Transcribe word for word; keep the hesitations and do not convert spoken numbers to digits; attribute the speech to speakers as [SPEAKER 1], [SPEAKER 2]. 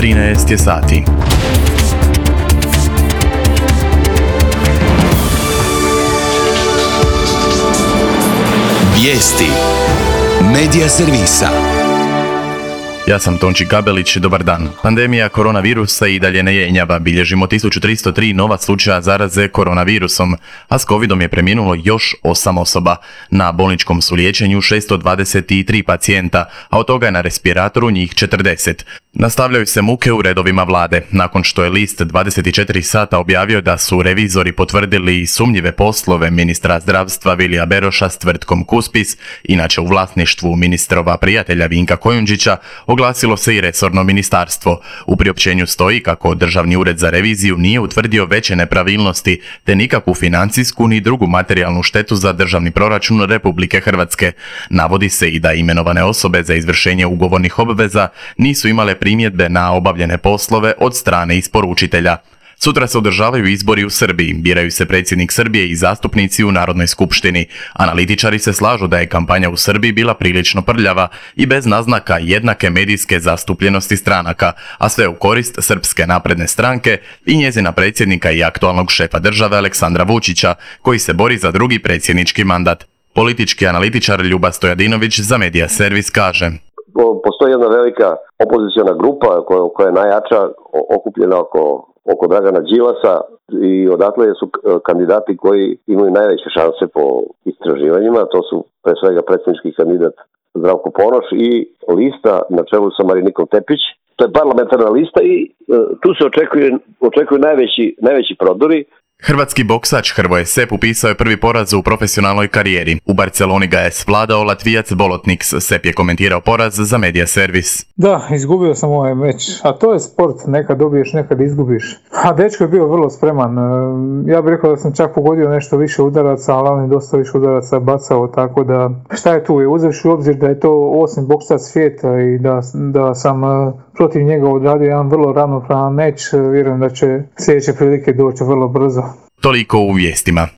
[SPEAKER 1] trinaest je sati.
[SPEAKER 2] Vijesti Medija servisa.
[SPEAKER 1] Ja sam Tonči Gabelić, dobar dan. Pandemija koronavirusa i dalje ne jenjava. Bilježimo tisuću tristo tri nova slučaja zaraze koronavirusom, a s covidom je preminulo još osam osoba. Na bolničkom su liječenju šesto dvadeset tri pacijenta, a od toga je na respiratoru njih četrdeset. Nastavljaju se muke u redovima vlade, nakon što je list dvadeset četiri sata objavio da su revizori potvrdili sumnjive poslove ministra zdravstva Vilija Beroša s tvrtkom Cuspis, inače u vlasništvu ministrova prijatelja Vinka Kojundžića, oglasilo se i resorno ministarstvo. U priopćenju stoji kako Državni ured za reviziju nije utvrdio veće nepravilnosti, te nikakvu financijsku ni drugu materijalnu štetu za državni proračun Republike Hrvatske. Navodi se i da imenovane osobe za izvršenje ugovornih obveza nisu imale primjedbe na obavljene poslove od strane isporučitelja. Sutra se održavaju izbori u Srbiji, biraju se predsjednik Srbije i zastupnici u Narodnoj skupštini. Analitičari se slažu da je kampanja u Srbiji bila prilično prljava i bez naznaka jednake medijske zastupljenosti stranaka, a sve u korist Srpske napredne stranke i njezina predsjednika i aktualnog šefa države Aleksandra Vučića, koji se bori za drugi predsjednički mandat. Politički analitičar Ljuba Stojadinović za Medija servis kaže:
[SPEAKER 3] Postoji jedna velika opoziciona grupa koja, koja je najjača, okupljena oko, oko Dragana Đilasa, i odatle su kandidati koji imaju najveće šanse po istraživanjima. To su pre svega predsjednički kandidat Zdravko Ponoš i lista na čelu sa Marinikom Tepić. To je parlamentarna lista i e, tu se očekuje, očekuju najveći, najveći prodori.
[SPEAKER 1] Hrvatski boksač Hrvoje Sep upisao je prvi poraz u profesionalnoj karijeri. U Barceloni ga je svladao Latvijac Bolotniks. Sep je komentirao poraz za Medija servis.
[SPEAKER 4] Da, izgubio sam ovaj meč, a to je sport, nekad dobiješ, nekad izgubiš. A dečko je bio vrlo spreman. Ja bih rekao da sam čak pogodio nešto više udaraca, ali on je dosta više udaraca bacao, tako da šta je tu, je uzevši u obzir da je to osmi boksač svijeta i da, da sam protiv njega odradio jedan vrlo ravnopravan meč. Vjerujem da će sljedeće prilike doći vrlo brzo.
[SPEAKER 1] Toliko u vijestima.